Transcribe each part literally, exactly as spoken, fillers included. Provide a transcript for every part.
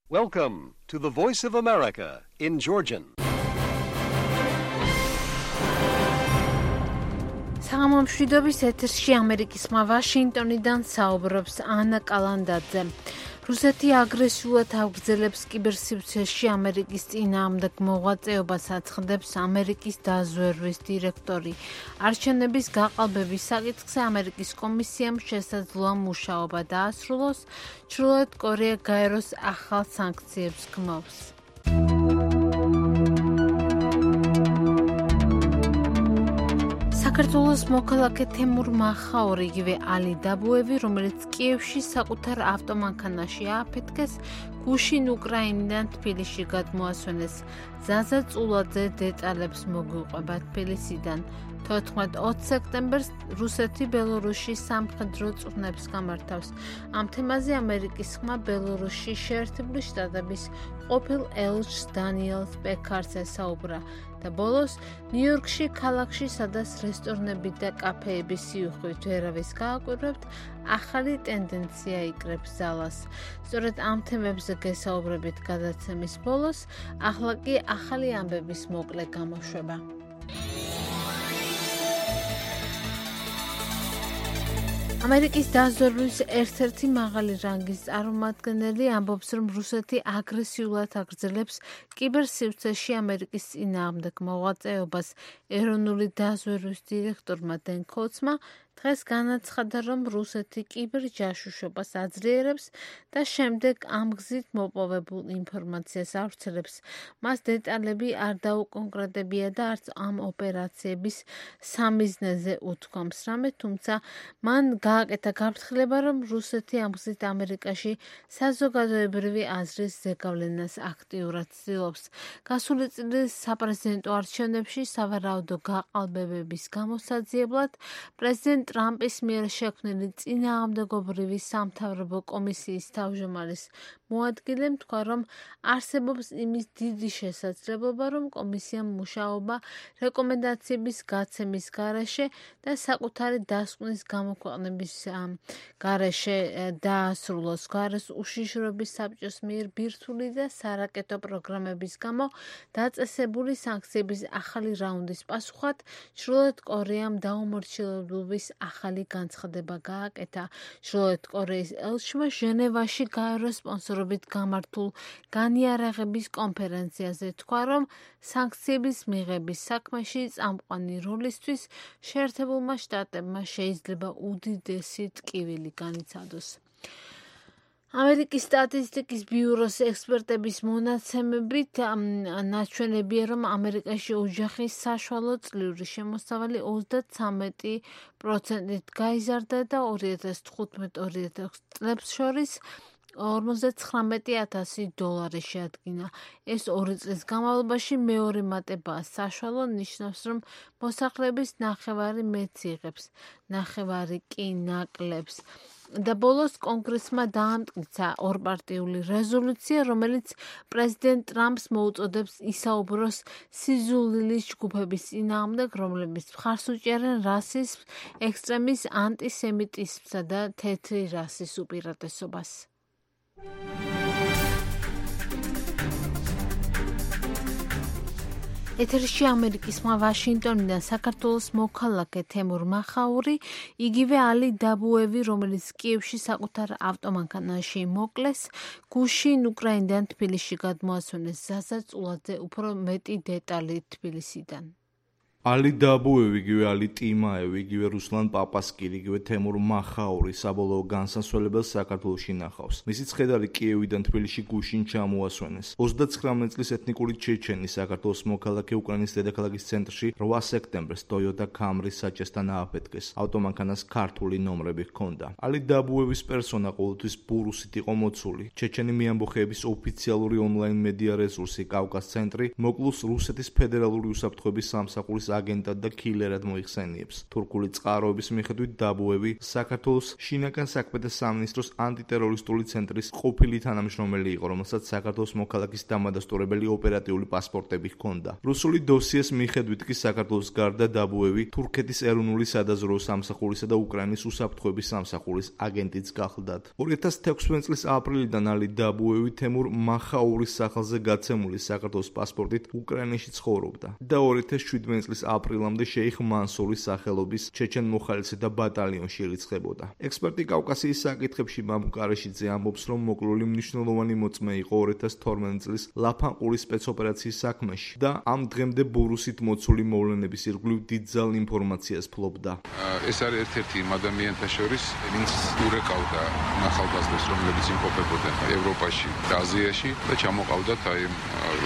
Welcome to the Voice of America in Georgian. საღამომშვიდობის ეთერში ამერიკის ხმა ვაშინგტონიდან საუბრობს ანა კალანდაძე. რუსეთი აგრესიულად აგრძელებს კიბერსივრცეში ამერიკის წინააღმდეგ მოღვაწეობას აცხადებს ამერიკის დაზვერვის დირექტორი. არჩევნების გაყალბების საკითხზე ამერიკის კომისიამ შესაძლოა მუშაობა დაასრულოს, ჩრდილოეთ კორეა გაეროს ახალ სანქციებს გმობს. საქართველოს მოქალაქე თემურ მახაური, იგივე ალი დაბუევი, რომელიც კიევში საკუთარ ავტომანქანაში ააფეთქეს, გუშინ უკრაინიდან თბილისში გადმოასვენეს. ზაზა წულაძე დეტალებს მოგვიყვება თბილისიდან. თოთხმეტ ოცი სექტემბერს რუსეთი ბელორუსში სამხედრო წვრთნებს გამართავს. ამ თემაზე ამერიკის ხმა ბელორუსში შეერთებული შტატების ყოფილ ელჩს დანიელ პეკარს ესაუბრა. და ბოლოს ნიუ-იორკში ქალაქში, სადაც რესტორნები და კაფეები სიუხვით ვერავის გააკვირვებთ, ახალი ტენდენცია იკრებს ზალას. სწორედ ამ თემებზე გესაუბრებით გადაცემის ბოლოს, ახლა კი ახალი ამბების მოკლე გამოშვება. ამერიკის დაზვერვის ერთ-ერთი მაღალი რანგის წარმომადგენელი ამბობს, რომ რუსეთი აგრესიულად აგრძელებს კიბერსივრცეში ამერიკის წინააღმდეგ მოღვაწეობას. ეროვნული დაზვერვის დირექტორმა დენ კოცმა დღეს განაცხადა, რომ რუსეთი კიბერჯაშუშობას აძლიერებს და შემდეგ ამ გზით მოპოვებულ ინფორმაციას ავრცელებს. მას დეტალები არ დაუკონკრეტებია და არც ამ ოპერაციების სამიზნეზე უთქვამს რამე, თუმცა მან გააკეთა გაფრთხილება, რომ რუსეთი ამ გზით ამერიკაში საზოგადოებრივი აზრის ზეგავლენას აქტიურად ცდილობს. გასული წლის საპრეზიდენტო არჩევნებში სავარაუდო გაყალბებების გამოსაძიებლად პრეზიდენტ ტრამპის მიერ შექმნილი წინააღმდეგობრივი სამთავრობო კომისიის თავმჯდომარის მოადგილემ თქვა, რომ არსებობს იმის დიდი შესაძლებლობა, რომ კომისიამ მუშაობა რეკომენდაციების გაცემის გარეშე და საკუთარი დასკვნის გამოქვეყნების გარეშე დაასრულოს. გარეს უშიშროების საბჭოს მიერ ბირთვული და სარაკეტო პროგრამების გამო დაწესებული სანქციების ახალი რაუნდის პასუხად ჩრდილოეთ კორეამ დაუმორჩილებლობის ახალი განცხადება გააკეთა. ჩრდილოეთ კორეის ელჩმა ჟენევაში გაეროს სპონსორობით გამართულ განიარაღების კონფერენციაზე თქვა, რომ სანქციების მიღების საქმეში წამყვანი როლისთვის შეერთებულმა შტატებმა შეიძლება უდიდესი ტკივილი განიცადოს. ამერიკის სტატისტიკის ბიუროს ექსპერტების მონაცემებით ნაჩვენებია, რომ ამერიკაში ოჯახის საშუალო წლიური შემოსავალი ოცდათვრამეტი პროცენტით გაიზარდა და ორი ათას თხუთმეტ ორი ათას წლებს შორის ორმოცდათხრამეტი ათასი დოლარი შეადგინა. ეს ორი წლის განმავლობაში მეორე მატებაა. საშუალო ნიშნავს, რომ მოსახლეობის ნახევარი მეტს იღებს, ნახევარი კი ნაკლებს. და ბოლოს კონგრესმა დაამტკიცა ორპარტიული რეზოლუცია, რომელიც პრეზიდენტ ტრამპს მოუწოდებს ისაუბროს სიზულილის ჯგუფების წინააღმდეგ, რომლებიც მხარს უჭერენ რასიზმს, ექსტრემის ანტისემიტიზმსა და თეთრი რასის უპირატესობას. ეთერში ამერიკის ხმა ვაშინგტონიდან საქართველოს მოქალაქე თემურ მახაური, იგივე ალი დაბუევი, რომელიც კიევში საკუთარ ავტომანქანაში მოკლეს, გუშინ უკრაინიდან თბილისში გადმოასვენეს. ზაზა წულაძე უფრო მეტი დეტალი თბილისიდან. ალი დაბუევი, იგივე ალი ტიმაევი, იგივე რუსლან პაპასკილი, იგივე თემურ მახაური საბოლოო განსასვენებელს საქართველოში ნახავს. მისი ცხედარი კიევიდან თბილისში გუშინ ჩამოასვენეს. ოცდათხრამეტ წლის ეთნიკური ჩეჩენი საქართველოს მოქალაქე უკრაინის დედაქალაქის ცენტრში რვა სექტემბერს Toyota Camry საჭესთან ააფეთქეს. ავტომანქანას ქართული ნომრები ჰქონდა. ალი დაბუევის პერსონა ყოველთვის ბურუსით იყო მოცული. ჩეჩენი მეამბოხეების ოფიციალური ონლაინ მედია რესურსი კავკას ცენტრი მოკლუს რუსეთის ფედერალური უსაფრთხოების სამსახურის აგენტად და კილერად მოიხსენიებს. თურქული წყაროების მიხედვით დაბუევი საქართველოს შინაგან საქმეთა სამინისტროს ანტიტერორისტული ცენტრის ყოფილი თანამშრომელი იყო, რომელსაც საქართველოს მოქალაქის დამადასტურებელი ოპერატიული პასპორტები ჰქონდა. რუსული დოსიეს მიხედვით კი საქართველოს გარდა დაბუევი თურქეთის ეროვნული სადაზვერვო სამსახურისა და უკრაინის უსაფრთხოების სამსახურის აგენტიც გახლდათ. ორი ათას თექვსმეტ წლის აპრილიდან ალი დაბუევი თემურ მახაურის სახელზე გაცემული საქართველოს პასპორტით უკრაინაში ცხოვრობდა და ორი ათას შვიდმეტ წლის აპრილამდე შეიხ მანსურის სახელობის ჩეჩენ მოხალისეთა ბატალიონში ირიცხებოდა. ექსპერტი კავკასიის საკითხებში მამუკ ყარაშიძე ამბობს, რომ მოკლული მნიშვნელოვანი მოწმე იყო ორი ათას თორმეტ წლის ლაფანყურის სპეცოპერაციის საქმეში და ამ დღემდე ბურუსით მოცული მოვლენების ირგვლივ დიდძალ ინფორმაციას ფლობდა. ეს არის ერთ-ერთი იმ ადამიანთა შორის, ვინც ურეკავდა ახალგაზრდებს, რომლებიც იმყოფებოდნენ ევროპაში და აზიაში და ჩამოყავდათ აი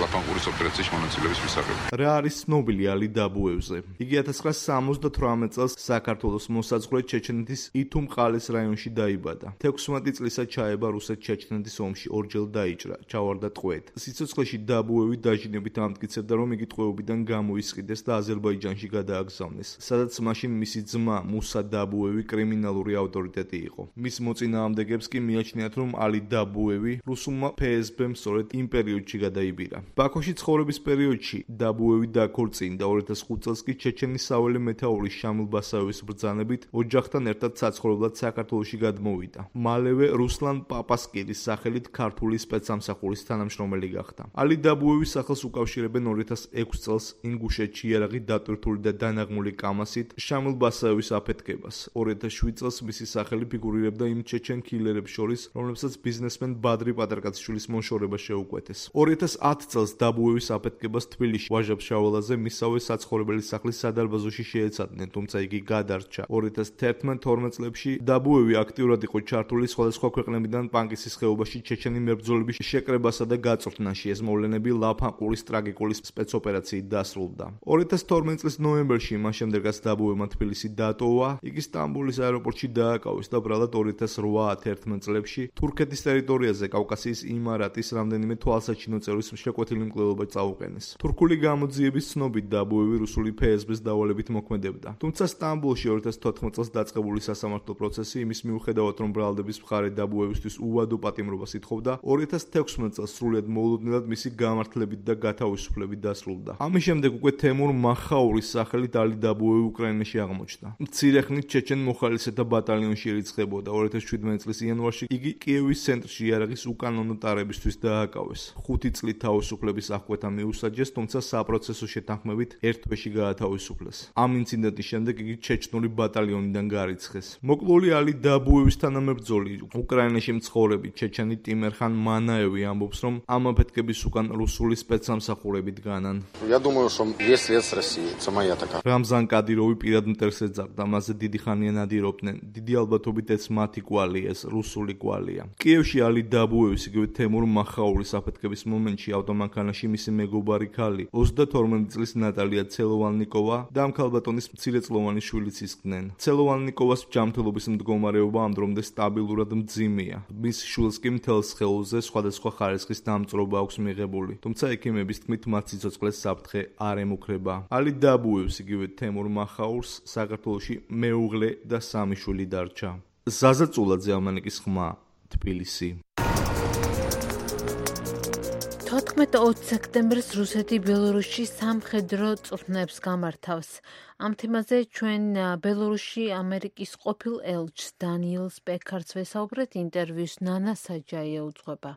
ლაფანყურის ოპერაციის მონაწილეობის მისაღები. რა არის ცნობილი ალი დაბუევზე? იგი ათას ცხრაასა სამოცდათვრამეტ წელს საქართველოს მოსაზღვრე ჩეჩნეთის ითუმ-ყალის რაიონში დაიბადა. თექვსმეტი წლისა ჩაება რუსეთ-ჩეჩნეთის ომში, ორჯერ დაიჭრა, ჩავარდა ტყვედ. სიცოცხლეში დაბუევი დაჟინებით ამტკიცებდა, რომ იგი ტყვეობიდან გამოისყიდეს და აზერბაიჯანში გადააგზავნეს, სადაც მაშინ მისი ძმა მუსა დაბუევი კრიმინალური ავტორიტეტი იყო. მის მოწინააღმდეგებს კი მიაჩნიათ, რომ ალი დაბუევი რუსულმა ფე ეს ბემ სწორედ იმ პერიოდში გადაიბირა. ბაქოში ცხოვრების პერიოდში დაბუევი დაქორწინდა. ორი ათას ხუთ წელს კი ჩეჩენის საველე მეთაურის შამილ ბასაევის ბრძანებით ოჯახთან ერთად საცხოვრებლად საქართველოში გადმოვიდა. მალევე რუსლან პაპასკირის სახელით ქართული სპეცსამსახურის თანამშრომელი გახდა. ალი დაბუევის სახელს უკავშირებენ ორი ათას ექვსი წელს ინგუშეთში იარაღი დატვირთული და დანაღმული კამასით შამილ ბასაევის აფეთქებას. ორი ათას შვიდ წელს მისი სახელი ფიგურირებდა იმ ჩეჩენ კილერებს შორის, რომლებსაც ბიზნესმენ ბადრი პატარკაციშვილის მოშორება შეუკვეთეს. ორი ათას ათ წელს დაბუევის აფეთქებას თბილისში ვაჟა-ფშაველაძე მისავე საცხოვრებელი სახლის სადარბაზოში შეეცადნენ, თუმცა იგი გადარჩა. ორი ათას თერთმეტ თორმეტ წლებში დაბუევი აქტიურად იყო ჩართული სხვადასხვა ქვეყნებიდან პანკისის ხეობაში ჩეჩენი მებრძოლების შეკრებასა და გაწვრთნაში. ეს მოვლენები ლაფანყურის ტრაგიკული სპეცოპერაციით დასრულდა. ორი ათას თორმეტ წლის ნოემბერში, მას შემდეგაც დაბუევმა თბილისი დატოვა, იგი სტამბოლის აეროპორტში დააკავეს და ბრალად ორი ათას რვა თერთმეტ წლებში თურქეთის ტერიტორიაზე კავკასიის იმარატის რამდენიმე თვალსაჩინო წევრის შეკვეთილი მკვლელობა წაუყენეს. თურქული გამოძიების ცნობით დაბუევი რუსული ფე ეს ბეს დავალებით მოქმედებდა. თუმცა სტამბოლში ორი ათას თოთხმეტ წელს დაწყებული სასამართლო პროცესი იმის მიუხედავად, რომ ბრალდების მხარე დაბუევისთვის უვადო პატიმრობას ითხოვდა, ორი ათას თექვსმეტ წელს სრულიად მოულოდნელად მისი გამართლებით და გათავისუფლებით დასრულდა. ამის შემდეგ უკვე თემურ მახაურის სახელით ალი დაბუევი უკრაინაში აღმოჩნდა. მცირე ხნით ჩეჩენ მოხალისეთა ბატალიონში ირიცხებოდა. ორი ათას შვიდმეტ წლის იანვარში იგი კიევის ცენტრში იარაღის უკანონო ტარებისთვის დააკავეს. ხუთი წლით თავისუფლების აღკვეთა მიუსაჯეს, თუმცა საპროცესო შეთანხმებით ერთ თვეში გაათავისუფლეს. ამ ინციდენტის შემდეგ იგი ჩეჩნური ბატალიონიდან გარიცხეს. მოკლული ალი დაბუევის თანამებრძოლი უკრაინაში მცხოვრები ჩეჩენი ტიმერხან მანაევი ამბობს, რომ ამ აფეთქების უკან რუსული სპეცსამსახურები დგანან. Я думаю, что весь лес России, это моя такая. რამზან კადიროვი პირად მტერს ეძახდა, მასზე დიდი ხანია ნადირობდნენ. დიდი ალბათობით ეს მათი კვალი, ეს რუსული კვალია. კიევში ალი დაბუევის იგივე თემურ მახაურის აფეთქების მომენტში ავტომანქანაში მისი მეგობარი ქალი, ოცდათორმეტ წლის ნატალია ცელოვანნიკოვა და ამ ქალბატონის მცირეწლოვანი შვილიც ისხდნენ. ცელოვანნიკოვას ჯანმრთელობის მდგომარეობა ამ დრომდე სტაბილურად მძიმეა. მის შვილს კი მთელ სხეულზე სხვადასხვა ხარისხის დამწვრობა აქვს მიღებული, თუმცა ექიმების თქმით მათ სიცოცხლეს საფრთხე არ ემუქრება. ალი დაბუევს იგივე თემურ მახაურს საქართველოში მეუღლე და სამი შვილი დარჩა. ზაზა წულაძე, ამანიკის ხმა, თბილისი. თოთხმეტ ოცი სექტემბერს რუსეთი ბელორუსში სამხედრო წვრთნებს გამართავს. ამ თემაზე ჩვენ ბელორუსში ამერიკის ყოფილ ელჩს დანიელ სპექარს ვესაუბრეთ, ინტერვიუს ნანა საჯაია უძღვება.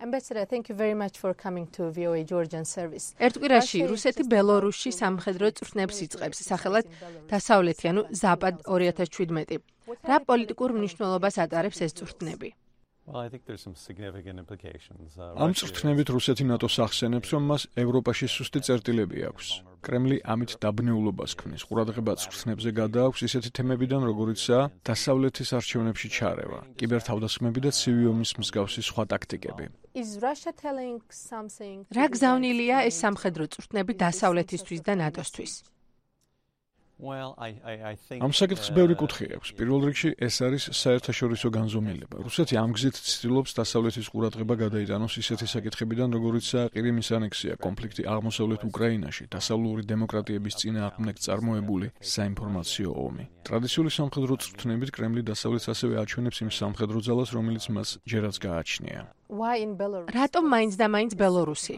Ambassador, thank you very much for coming to V O A Georgian service. ერთ კვირაში რუსეთი ბელორუსში სამხედრო წვრთნებს იწყებს, სახელად დასავლეთი, ანუ ზაპად ორი ათას შვიდმეტი. რა პოლიტიკურ მნიშვნელობას ატარებს ეს წვრთნები? ამ წვრთნებით რუსეთი ნატოს ახსენებს, რომ მას ევროპაში სუსტი წერტილები აქვს. კრემლი ამით დაბნეულობას ქმნის. ყურადღება წვრთნებზე გადააქვს ისეთი თემებიდან, როგორიცაა დასავლეთის არჩევნებში ჩარევა, კიბერთავდასხმები და ცივი ომის მსგავსი სხვა ტაქტიკები. რა გზავნილია ეს სამხედრო წვრთნები დასავლეთისთვის და ნატოსთვის? ამ საკითხს ბევრი კუთხე აქვს. პირველ რიგში ეს არის საერთაშორისო განზომილება. რუსეთი ამ გზით ცდილობს დასავლეთის ყურადღება გადაიტანოს ისეთი საკითხებიდან, როგორიცაა ყირიმის ანექსია, კონფლიქტი აღმოსავლეთ უკრაინაში, დასავლური დემოკრატიების წინააღმდეგ წარმოებული საინფორმაციო ომი. ტრადიციული სამხედრო წვრთნებით კრემლი დასავლეთს ასევე აჩვენებს იმ სამხედრო ძალას, რომელიც მას ჯერაც გააჩნია. რატომ მაინც და მაინც ბელორუსი?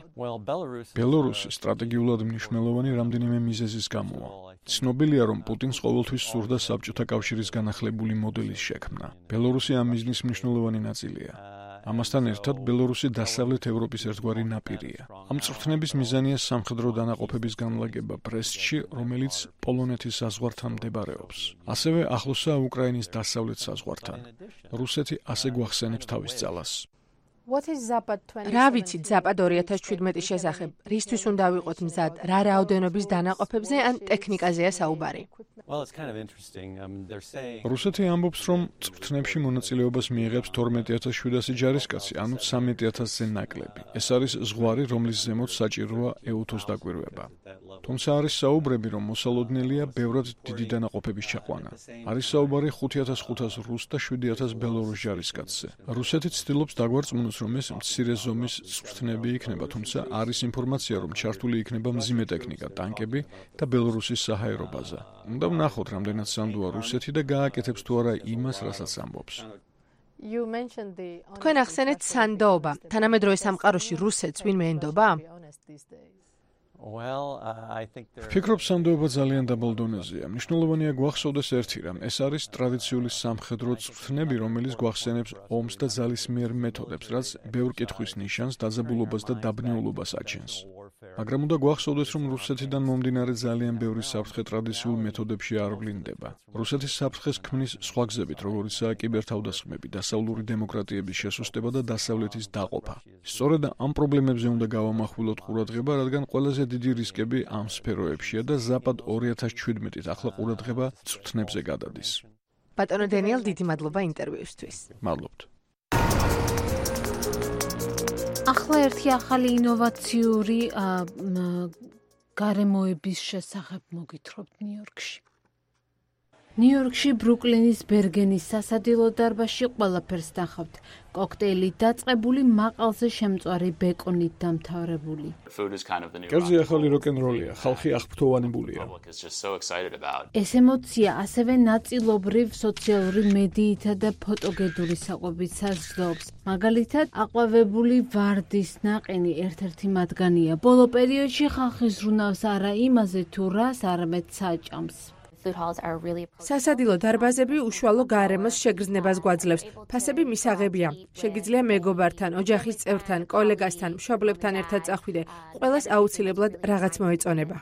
ბელორუსი სტრატეგიულად მნიშვნელოვანი რამდენიმე მიზეზის გამოა. ცნობილია, რომ პუტინს ყოველთვის სურდა საბჭოთა კავშირის განახლებული მოდელის შექმნა. ბელორუსი ამ მიზნის მნიშვნელოვანი ნაწილია. ამასთან ერთად, ბელორუსი დასავლეთ ევროპის ერთგვარი ნაპირია. ამ წვრთნების მიზანია სამხედრო დანაყოფების განლაგება ბრესტში, რომელიც პოლონეთის საზღვართან მდებარეობს. ასევე ახლოსაა უკრაინის დასავლეთ საზღვართან. რუსეთი ასე გვახსენებს თავის ძალას. რა ვიცით ზაპად ორი ათას შვიდმეტის შესახებ? რისთვის უნდა ვიყოთ მზად? რა რაოდენობის დანაყოფებზე ან ტექნიკაზეა საუბარი? რუსეთი ამბობს, რომ წვრთნებში მონაწილეობას მიიღებს თორმეტი ათას შვიდასი ჯარისკაცი, ანუ ცამეტი ათასზე ნაკლები. ეს არის ზღვარი, რომლის ზემოთ საჭიროა ეუთოს დაკვირვება. თუმცა არის საუბრები, რომ მოსალოდნელია ბევრად დიდი დანაყოფების ჩაყვანა. არის საუბარი ხუთი ათას ხუთას რუს და შვიდი ათას ბელორუს ჯარისკაცზე. რუსეთი ცდილობს დაგვარწმუნოს, რომ ეს მცირე ზომის წვრთნები იქნება, თუმცა არის ინფორმაცია, რომ ჩართული იქნება მძიმე ტექნიკა, ტანკები და ბელორუსის საჰაერო ბაზა. უნდა ვნახოთ, რამდენად სანდოა რუსეთი და გააკეთებს თუ არა იმას, რასაც ამბობს. თქვენ ახსენეთ სანდოობა. თანამედროვე სამყაროში რუსეთს ვინმე ენდობა? ვფიქრობ, სანდოობა ძალიან დაბალ დონეზეა. მნიშვნელოვანია გვახსოვდეს ერთი რამ, ეს არის ტრადიციული სამხედრო წვრთნები, რომელიც გვახსენებს ომს და ძალისმიერ მეთოდებს, რაც ბევრ კითხვის ნიშანს, დაძაბულობას და დაბნეულობას აჩენს. მაგრამ უნდა გვახსოვდეს, რომ რუსეთიდან მომდინარე ძალიან ბევრი საფრთხე ტრადიციულ მეთოდებში არ ვლინდება. რუსეთის საფრთხეს ქმნის სხვა გზებით, როგორიცაა კიბერთავდასხმები, დასავლური დემოკრატიების შესუსტება და დასავლეთის დაყოფა. სწორედ ამ პრობლემებზე უნდა გავამახვილოთ ყურადღება, რადგან ყველაზე დიდი რისკები ამ სფეროებშია და ზაპად ორი ათას შვიდმეტით ახლა ყურადღება წვრთნებზე გადადის. ბატონო დენიელ, დიდი მადლობა ინტერვიუსთვის. მადლობთ. ახლა ერთი ახალი ინოვაციური გარემოების შესახებ მოგითხრობთ ნიუ-იორკში. ნიუ-იორკში ბრუკლინის ბერგენის სასადილო დარბაზში ყველაფერს ნახავთ. კოქტეილი დაწყებული, მაყალზე შემწვარი ბეკონით დამთავრებული. კერძი ახალი როკ-ენ-როლია, ხალხი აღფრთოვანებულია. ეს ემოცია ასევე ნაწილობრივ სოციალური მედიითა და ფოტოგედური საკვებით საზრდოობს. მაგალითად, აყვავებული ვარდის ნაყინი ერთ-ერთი მათგანია. ბოლო პერიოდში ხალხი ზრუნავს არა იმაზე თუ რას, არამედ საჭამს. სასადილო დარბაზები უშუალო გარემოს შეგრძნებას გვაძლევს. ფასები მისაღებია. შეგიძლია მეგობართან, ოჯახის წევრთან, კოლეგასთან, მშობლებთან ერთად წახვიდე. ყველას აუცილებლად რაღაც მოეწონება.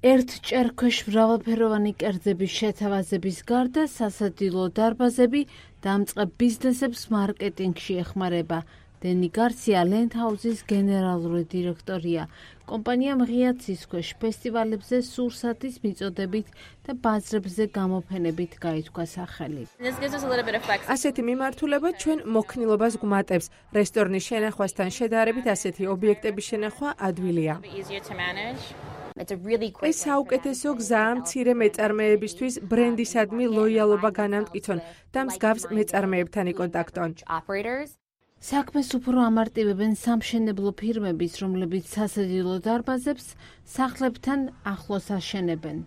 ერთ ჭერქვეშ მრავალფეროვანი კერძების შეთავაზების გარდა სასადილო დარბაზები დამწყებ ბიზნესებს მარკეტინგში ეხმარება. დენი გარსია ლენდჰაუზის გენერალური დირექტორია. კომპანია მღია ცის ქვეშ ფესტივალებზე სურსათის მიწოდებით და ბაზრებზე გამოფენებით გაითქვა სახელი. ასეთი მიმართულება ჩვენ მოქნილობას გვმატებს. რესტორნის შენახვასთან შედარებით ასეთი ობიექტების შენახვა ადვილია. ეს საუკეთესო გზაა მცირე მეწარმეებისთვის ბრენდისადმი ლოიალობა განამტკიცონ და მსგავს მეწარმეებთან იკონტაქტონ. საქმეს უფრო ამარტივებენ სამშენებლო ფირმების, რომლებიც სასადილო დარბაზებს სახლებთან ახლოს აშენებენ.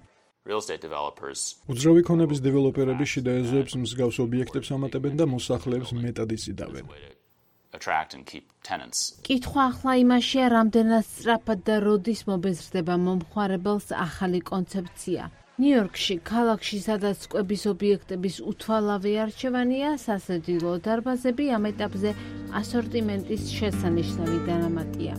უძრავი ქონების დეველოპერები შიდა ეზოებს მსგავს ობიექტებს ამატებენ და მოსახლეებს მეტად იზიდავენ. კითხვა ახლა იმაშია, რამდენად სწრაფად და როდის მობეზრდება მომხმარებელს ახალი კონცეფცია. ნიუ-იორკში, ქალაქში, სადაც კვების ობიექტების უთვალავი არჩევანია, სასადილო დარბაზები ამ ეტაპზე ასორტიმენტის შესანიშნავი დანამატია.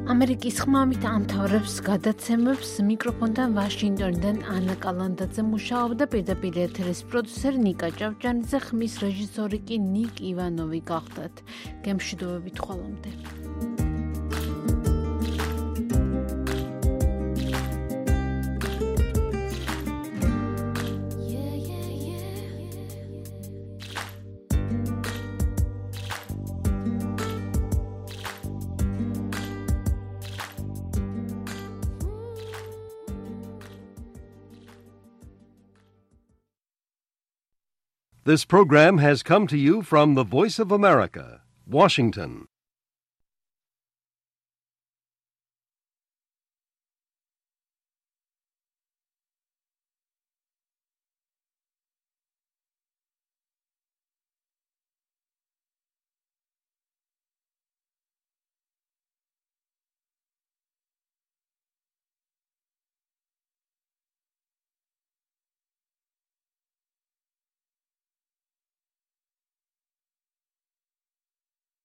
ამერიკის ხმამით ამთავრებს გადაცემებს მიკროფონთან ვაშინგტონიდან ანა კალანდაძე მუშაობდა, პირდაპირ ეთერის პროდიუსერი ნიკა ჭავჭანიძე, ხმის რეჟისორი კი ნიკ ივანოვი გახდათ. გემშვიდობებით ხოლომდე. This program has come to you from the Voice of America, Washington.